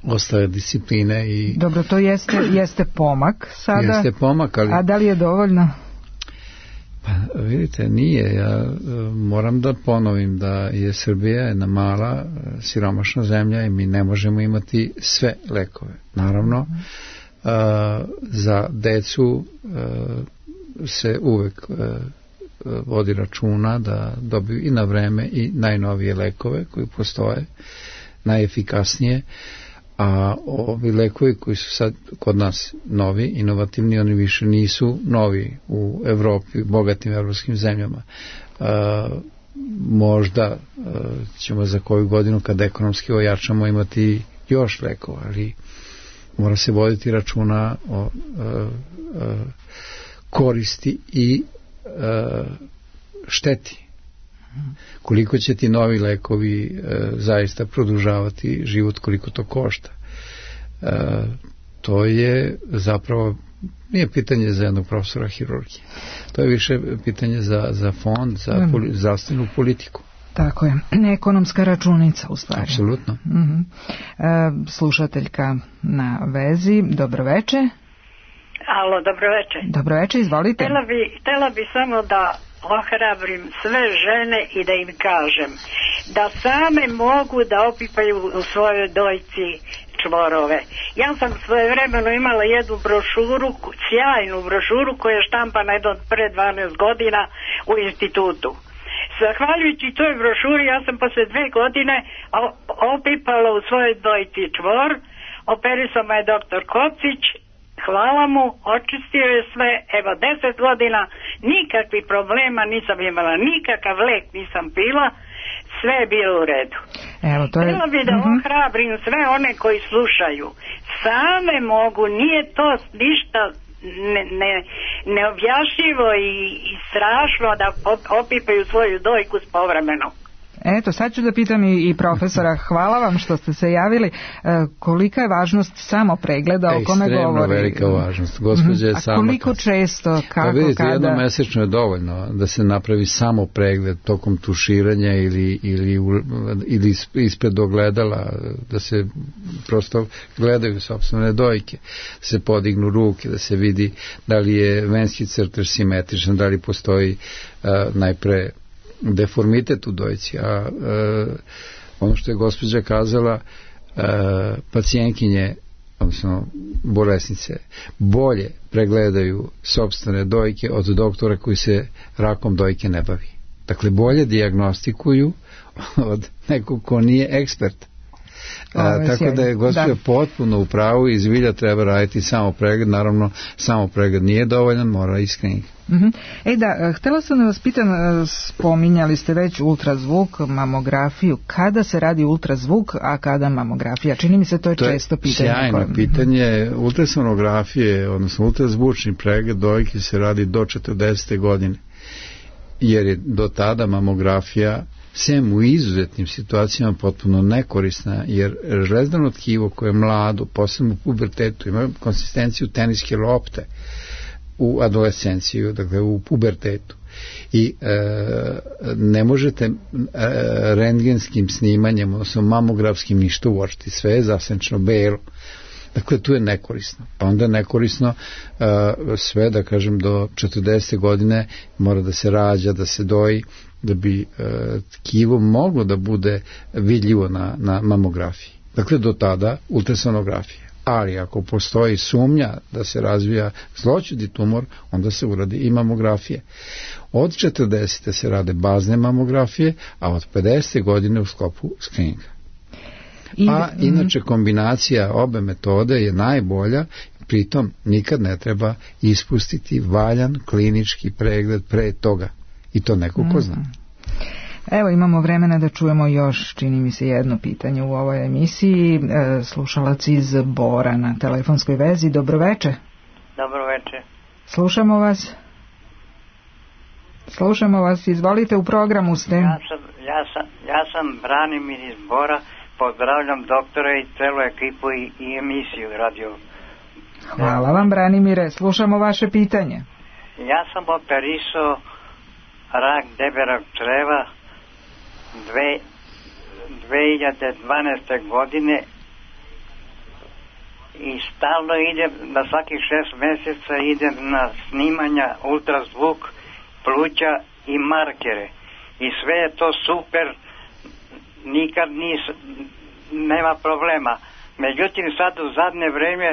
ostale discipline. I dobro, to jeste pomak sada. Jeste pomak, ali... A da li je dovoljno? Pa vidite, nije. Ja moram da ponovim da je Srbija jedna mala, siromašna zemlja i mi ne možemo imati sve lekove. Naravno, za decu se uvek vodi računa da dobiju i na vreme i najnovije lekove koji postoje, najefikasnije, a ovi lekovi koji su sad kod nas novi, inovativni, oni više nisu novi u Evropi, bogatim evropskim zemljama. Možda ćemo za koju godinu, kad ekonomski ojačamo, imati još lekova, ali mora se voditi računa o koristi i šteti. Koliko će ti novi lekovi zaista produžavati život, koliko to košta. To je zapravo, nije pitanje za jednog profesora hirurgije. To je više pitanje za fond, za zdravstvenu politiku. Tako je, ekonomska računica u stvari. Apsolutno. Slušateljka na vezi, dobroveče. Alo, dobroveče. Dobroveče, izvolite. Htela bi samo da ohrabrim sve žene i da im kažem da same mogu da opipaju u svojoj dojci čvorove. Ja sam svojevremeno imala jednu brošuru, sjajnu brošuru koja je štampana pre 12 godina u institutu. Zahvaljujući toj brošuri ja sam posle 2 godine opipala u svojoj dojci čvor, operisao me je doktor Kocić, hvala mu, očistio je sve, evo 10 godina, nikakvih problema nisam imala, nikakav lek nisam pila, sve je bilo u redu. Htjela bi da ohrabrim sve one koji slušaju, same mogu, nije to ništa neobjašnjivo i strašno da opipaju svoju dojku povremeno. Eto, sad ću da pitam i profesora, hvala vam što ste se javili, kolika je važnost samo pregleda o kome govori? Ekstremno velika važnost. Gospođa je sama... A koliko često, kako, kada? Vidite, kada? jednomesečno je dovoljno da se napravi samo pregled tokom tuširanja ili ispred ogledala, da se prosto gledaju sopstvene dojke, da se podignu ruke, da se vidi da li je venski crtež simetričan, da li postoji najpre deformitet u dojci, a ono što je gospođa kazala, pacijentkinje, odnosno bolesnice, bolje pregledaju sopstvene dojke od doktora koji se rakom dojke ne bavi. Dakle, bolje dijagnostikuju od nekog ko nije ekspert. Tako da je gospođa potpuno u pravu i zbilja treba raditi samo pregled. Naravno, samo pregled nije dovoljan, mora i screening. Htela sam da vas pitam, spominjali ste već ultrazvuk, mamografiju. Kada se radi ultrazvuk, a kada mamografija? Čini mi se to je često pitanje. Sjajno pitanje. Ultrasonografije, odnosno ultrazvučni pregled dojke se radi do 40. godine, jer je do tada mamografija sem u izuzetnim situacijama potpuno nekorisna, jer žlezdano tkivo koje je mlado, posebno u pubertetu, ima konsistenciju teniske lopte u adolescenciju, dakle u pubertetu, i ne možete rentgenskim snimanjem, odnosno mamografskim ništa uočiti, sve je zasenčno belo. Dakle, tu je nekorisno. Pa onda je nekorisno sve, da kažem, do 40. godine mora da se rađa, da se doji, da bi tkivo moglo da bude vidljivo na mamografiji. Dakle, do tada ultrasonografija. Ali ako postoji sumnja da se razvija zloćudni tumor, onda se uradi i mamografije. Od 40. se rade bazne mamografije, a od 50. godine u sklopu screeninga. A inače kombinacija obe metode je najbolja, pritom nikad ne treba ispustiti valjan klinički pregled pre toga. I to neko ko zna. Evo, imamo vremena da čujemo još, čini mi se, jedno pitanje u ovoj emisiji. Slušalac iz Bora na telefonskoj vezi. Dobroveče. Dobroveče. Slušamo vas. Slušamo vas, izvolite, u programu ste. Ja sam Branimir iz Bora. Pozdravljam doktora i celu ekipu i emisiju radio. Hvala vam, Branimire, slušamo vaše pitanje. Ja sam operisao rak debelog creva 2012. godine i stalno idem, na svakih 6 mjeseca idem na snimanja ultrazvuk pluća i markere i sve je to super, nikad nema problema. Međutim, sad u zadnje vrijeme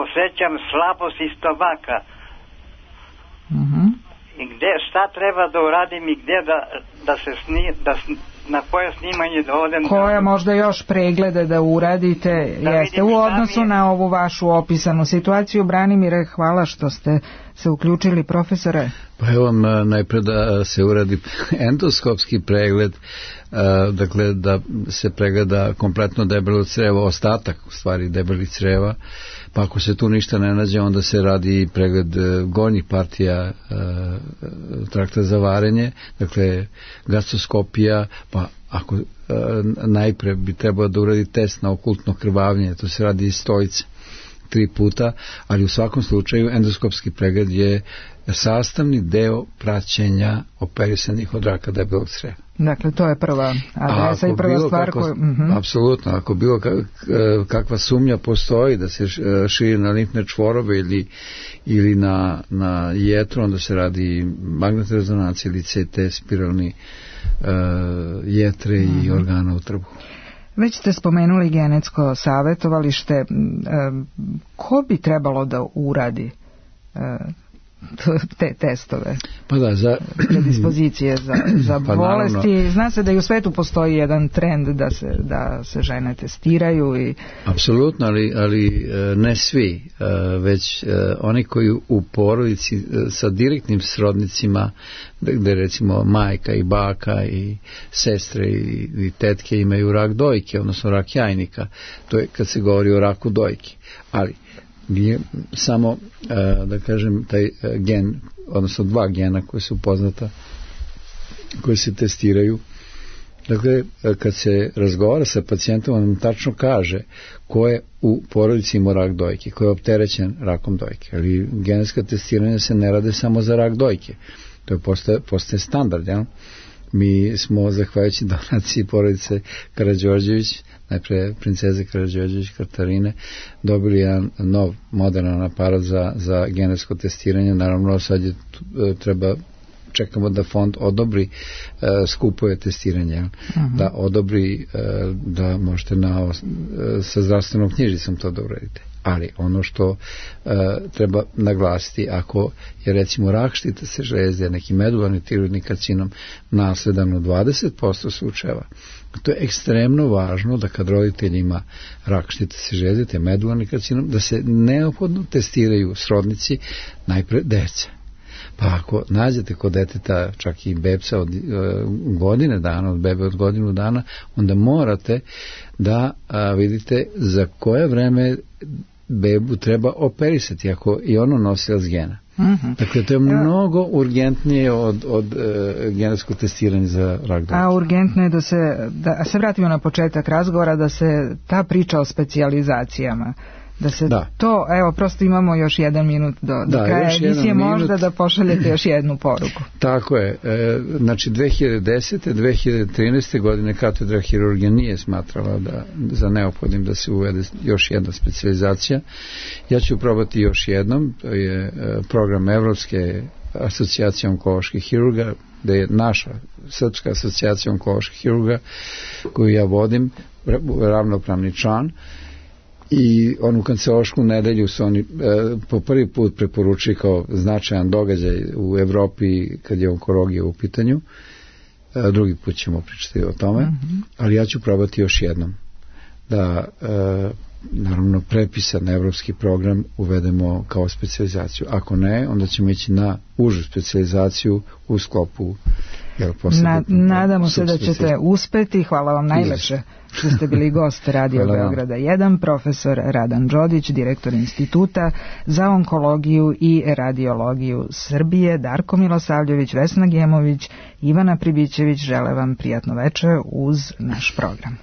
osjećam slabost iz stomaka. I šta treba da uradim i gdje na koje snimanje da odem? Koje možda još preglede da uradite, jeste u odnosu na ovu vašu opisanu situaciju. Branimire, hvala što ste se uključili, profesore. Pa evo vam najpred da se uradi endoskopski pregled, dakle da se pregleda kompletno debelo crevo, ostatak u stvari debelih creva, pa ako se tu ništa ne nađe, onda se radi pregled gornjih partija trakta za varenje, dakle gastroskopija, pa ako najpre bi trebalo da uradi test na okultno krvavljenje, to se radi iz stojice 3 puta, ali u svakom slučaju endoskopski pregled je sastavni deo praćenja operisanih od raka debelog creva. Dakle, to je prva adresa i prva stvar koju... Apsolutno, ako bilo kakva sumnja postoji da se širi na limfne čvorove ili na jetru, onda se radi magnetna rezonancija ili CT spiralni jetre i organa u trbuhu. Već ste spomenuli genetsko savjetovalište. Ko bi trebalo da uradi te testove? Pa da, za predispozicije za bolesti. Naravno. Zna se da i u svetu postoji jedan trend da se žene testiraju i... Apsolutno, ali ne svi, već oni koji u porodici sa direktnim srodnicima, gde recimo majka i baka i sestre i tetke imaju rak dojke, odnosno rak jajnika. To je kad se govori o raku dojke. Ali nije samo, da kažem, taj gen, odnosno 2 gena koje su poznata, koje se testiraju. Dakle, kad se razgovara sa pacijentom, on nam tačno kaže ko je u porodici imao rak dojke, ko je opterećen rakom dojke. Ali genetska testiranja se ne rade samo za rak dojke. To je postaje standard, jel? Mi smo, zahvaljujući donaciji porodice Karađorđević, najpre princeze Karađorđević Katarine, dobili jedan nov modernan aparat za genetsko testiranje. Naravno, sad treba čekamo da fond odobri skupove testiranja, da odobri da možete sa zdravstvenom knjižicom to da uradite. Ali ono što treba naglasiti, ako je recimo rak štitne žlezde, neki medularni tiroidni karcinom nasledan u 20% slučajeva, to je ekstremno važno da kad roditelj ima rak štitne žlezde, te medularni karcinom, da se neophodno testiraju srodnici, najpre deca. Pa ako nađete kod deteta čak i bebca od godine dana, od bebe od godinu dana, onda morate da vidite za koje vreme bebu treba operisati, ako i ono nosilac gena. Dakle, to je mnogo urgentnije od genetskog testiranja za rak dojke. A urgentno je da se vratimo na početak razgovora, da se ta priča o specijalizacijama, da se to, evo, prosto imamo još 1 minut do kraja emisije, možda da pošaljete još jednu poruku. Tako je, znači 2010. 2013. godine katedra hirurgije nije smatrala za neophodnim da se uvede još jedna specijalizacija. Ja ću probati još jednom, to je program Evropske asocijacije onkoloških hirurga, da je naša Srpska asocijacija onkoloških hirurga, koju ja vodim, ravnopravni član. I onu kancelarsku nedelju su oni po prvi put preporučili kao značajan događaj u Evropi kad je onkologija u pitanju. Drugi put ćemo pričati o tome, ali ja ću probati još jednom da naravno prepisan evropski program uvedemo kao specijalizaciju. Ako ne, onda ćemo ići na užu specijalizaciju u sklopu. Nadamo se da ćete uspeti. Hvala vam najlepše što ste bili gost Radio Beograda 1, profesor Radan Đodić, direktor Instituta za onkologiju i radiologiju Srbije, Darko Milosavljević, Vesna Gemović, Ivana Pribićević. Žele vam prijatno večer uz naš program.